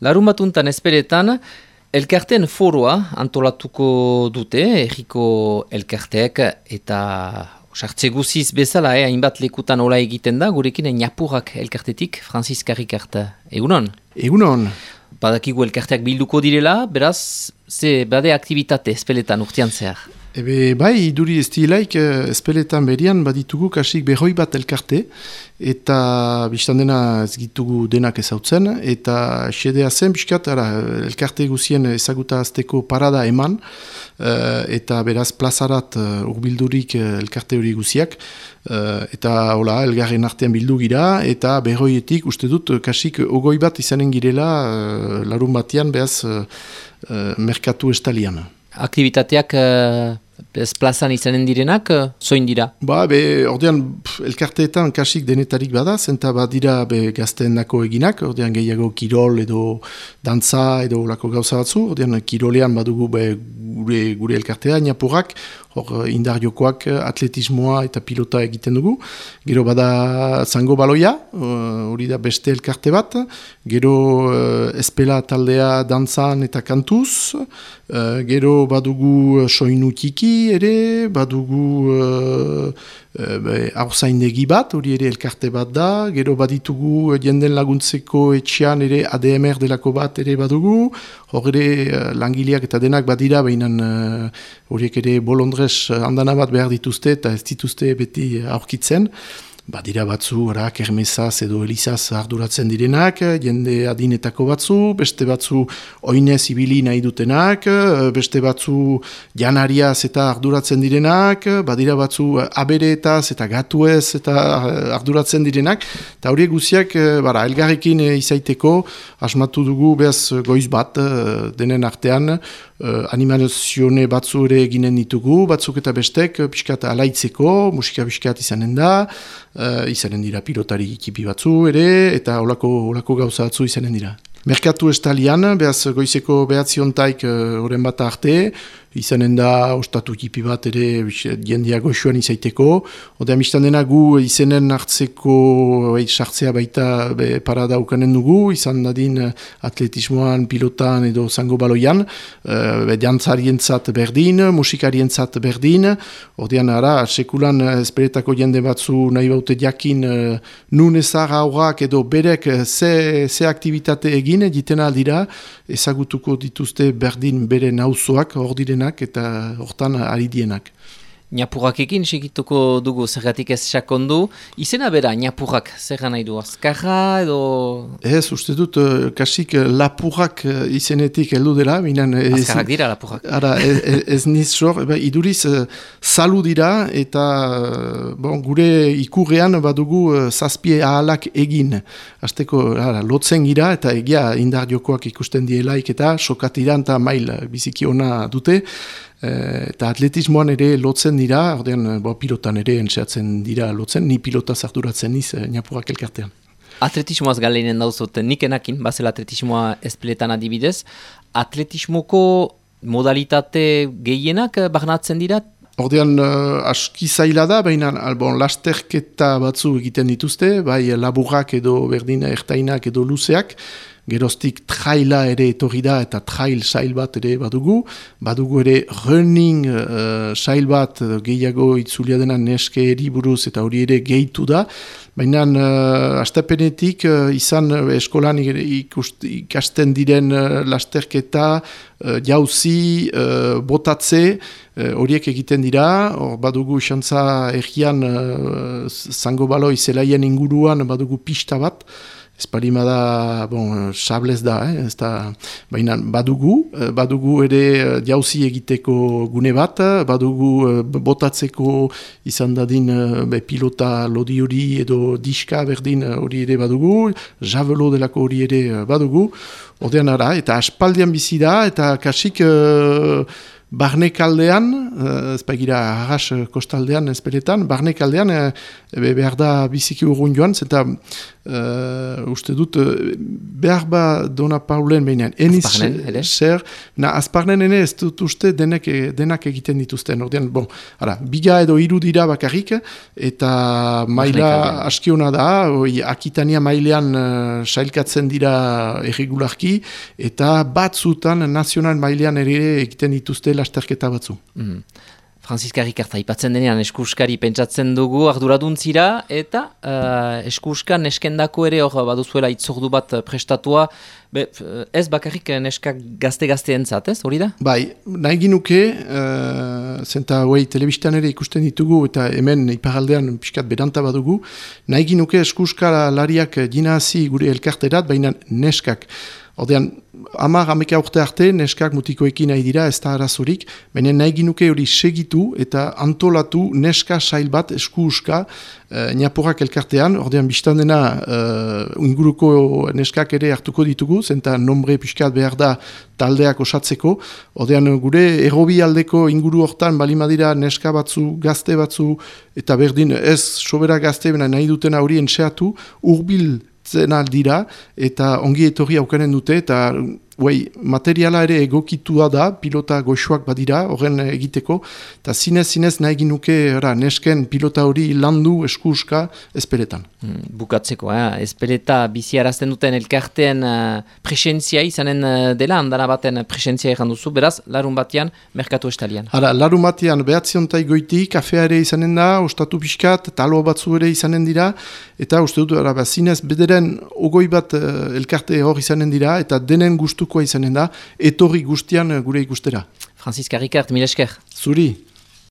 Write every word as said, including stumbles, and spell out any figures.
Larun batuntan ezperetan, elkarteen foroa antolatuko dute, erriko elkarteek eta sartze guziz bezala, eh, hainbat lekutan hola egiten da, gurekin Ñapurrak elkartetik, Franziska Ricart, egunon? Egunon. Badakigu elkarteak bilduko direla, beraz, ze bade aktivitate ezpeletan urtean zehar? Ebe, bai, iduri ez dilaik, ezpeletan berian baditugu kasik berroi bat elkarte, eta biztan dena ez gitugu denak ezautzen, eta xedea zen, biskat, ara, elkarte guzien ezaguta azteko parada eman, uh, eta beraz plazarat uh, urbildurik uh, elkarte hori guziak, uh, eta hola, elgarren artean bildu gira, eta berroietik, uste dut, kasik ogoi bat izanen girela, uh, larun batean, behaz, uh, uh, merkatu estalian. Aktivitateak uh, ez plazan izanen direnak, uh, zoin dira? Ba, be, ordean, pf, elkarteetan kasik denetarik bada, zenta badira be gazteen nako eginak, ordean gehiago kirol edo dantza edo lako gauza batzu, ordean kirolean badugu be, gure, gure elkartea, Ñapurrak, hor indar jokoak, atletismoa eta pilota egiten dugu. Gero bada zango baloia, hori uh, da beste elkarte bat. Gero uh, espela taldea dantzan eta kantuz. Uh, gero badugu soinu tiki ere, badugu uh, uh, haurzaindegi bat, hori ere elkarte bat da. Gero baditugu jenden laguntzeko etxean ere A D M R delako bat ere badugu. Hor ere uh, langileak eta denak badira, behinan horiek uh, ere bolondre handana bat behar dituzte eta ez dituzte beti aurkitzen. Badira batzu, ara, kermesaz edo elizaz arduratzen direnak, jende adinetako batzu, beste batzu oinez ibili nahi dutenak, beste batzu janariaz eta arduratzen direnak, badira batzu abereetaz eta gatuez eta arduratzen direnak, eta horiek guziak, bara, elgarrekin izaiteko, asmatu dugu behaz goiz bat, denen artean, Uh, animazione batzu ere eginen ditugu, batzuk eta bestek pixkat alaitzeko, musika pixkat izanen da, uh, izanen dira pilotari ekipi batzu ere, eta olako, olako gauza batzu izanen dira. Merkatu estalian, behaz goizeko behatziontaik horren uh, bat arte, izanen da ostatu ekipi bat ere jendia goxuan izaiteko. Oda mistan dena gu izenen hartzeko bai, sartzea baita be, parada ukanen dugu, izan dadin atletismoan, pilotan edo zango baloian, uh, dantzarientzat berdin, musikarientzat berdin. Odean ara, sekulan esperetako jende batzu nahi baute jakin uh, nun ezar aurrak edo berek ze, ze aktivitate egin, egiten aldira, ezagutuko dituzte berdin bere nauzoak, hor direnak eta hortan ari dienak. Ñapurrakekin segituko dugu zergatik ez sakondu. Izena bera, Ñapurrak, zer nahi du? Azkarra edo... Ez, uste dut, uh, kasik lapurrak uh, izenetik heldu dela. Azkarrak dira, lapurrak. Ara, ez, ez niz sor, eba, iduriz uh, salu dira eta uh, bon, gure ikurrean badugu uh, zazpie ahalak egin. Azteko, ara, lotzen gira eta egia indar jokoak ikusten dielaik eta sokatiran eta mail biziki ona dute. Eta atletismoan ere lotzen dira, ordean bo, pilotan ere entxeatzen dira lotzen, ni pilota zarduratzen niz Ñapurrak elkartean. Atletismoaz galeinen dauzut, nik enakin, bazel atletismoa ezpeletan adibidez, atletismoko modalitate gehienak barnatzen dira? Ordean uh, aski zaila da, baina bon, lasterketa batzu egiten dituzte, bai laburrak edo berdina ertainak edo luzeak, geroztik traila ere etorri da eta trail sail bat ere badugu. Badugu ere running uh, sail bat gehiago itzulia dena neske eriburuz eta hori ere gehitu da. Baina uh, astapenetik uh, izan uh, eskolan ikust, ikasten diren uh, lasterketa, uh, jauzi, uh, botatze, horiek uh, egiten dira. Or, badugu xantza errian uh, zango baloi zelaien inguruan badugu pista bat. Ez parimada, bon, sablez da, eh? Ez da, baina badugu, badugu ere jauzi egiteko gune bat, badugu botatzeko izan dadin be, pilota lodi hori edo diska berdin hori ere badugu, javelo delako hori ere badugu, ordean ara, eta aspaldian bizi da, eta kasik... Uh, barnekaldean, uh, ez bagira arras kostaldean ezperetan, barnekaldean uh, behar da biziki urgun joan, zenta uh, uste dut behar ba Dona Paulen behinean. Eniz zer, na azparnen ene ez dut uste denek, denak egiten dituzten. Ordean, bon, ara, biga edo hiru dira bakarrik, eta maila askiona da, oi, Akitania mailean uh, sailkatzen dira erregularki, eta batzutan nazional mailean ere egiten dituzte lasterketa batzu. Mm. Franziska Rikarta, ipatzen denean eskuskari pentsatzen dugu arduraduntzira, eta uh, eskuskan neskendako ere hor baduzuela itzordu bat prestatua, be, ez bakarrik neskak gazte-gazte entzat, ez, hori da? Bai, nahi ginuke, uh, zenta hoi telebistan ere ikusten ditugu, eta hemen iparaldean pixkat beranta badugu, nahi ginuke eskuskalariak jinazi gure elkarterat, baina neskak. Ordean, hamar hameka urte arte, neskak mutikoekin nahi dira, ez da arazorik, baina nahi ginuke hori segitu eta antolatu neska sail bat eskuuska e, Naporak elkartean, ordean biztan dena e, inguruko neskak ere hartuko ditugu, zenta nombre pixkat behar da taldeak osatzeko, ordean gure errobi aldeko inguru hortan balimadira neska batzu, gazte batzu, eta berdin ez sobera gazte, baina nahi dutena hori entxeatu, urbil zena dira, eta ongi etorri aukanen dute, eta uei, materiala ere egokitua da, pilota goxuak badira, horren egiteko, eta zinez-zinez nahi ginuke nesken pilota hori landu eskuuska ezperetan. Hmm, bukatzeko, eh? Ezpereta biziarazten duten elkarteen uh, presentzia izanen uh, dela, andana baten presentzia egan duzu, beraz, larun batean, merkatu estalian. Hara, larun batean, behatziontai goiti, kafea ere izanen da, ostatu pixkat, talo batzu ere izanen dira, eta uste dut, ara, zinez, bederen ogoi bat uh, elkarte hor izanen dira, eta denen gustuko izanen da, etorri guztian gure ikustera. Franziska Rikart, mil esker. Zuri.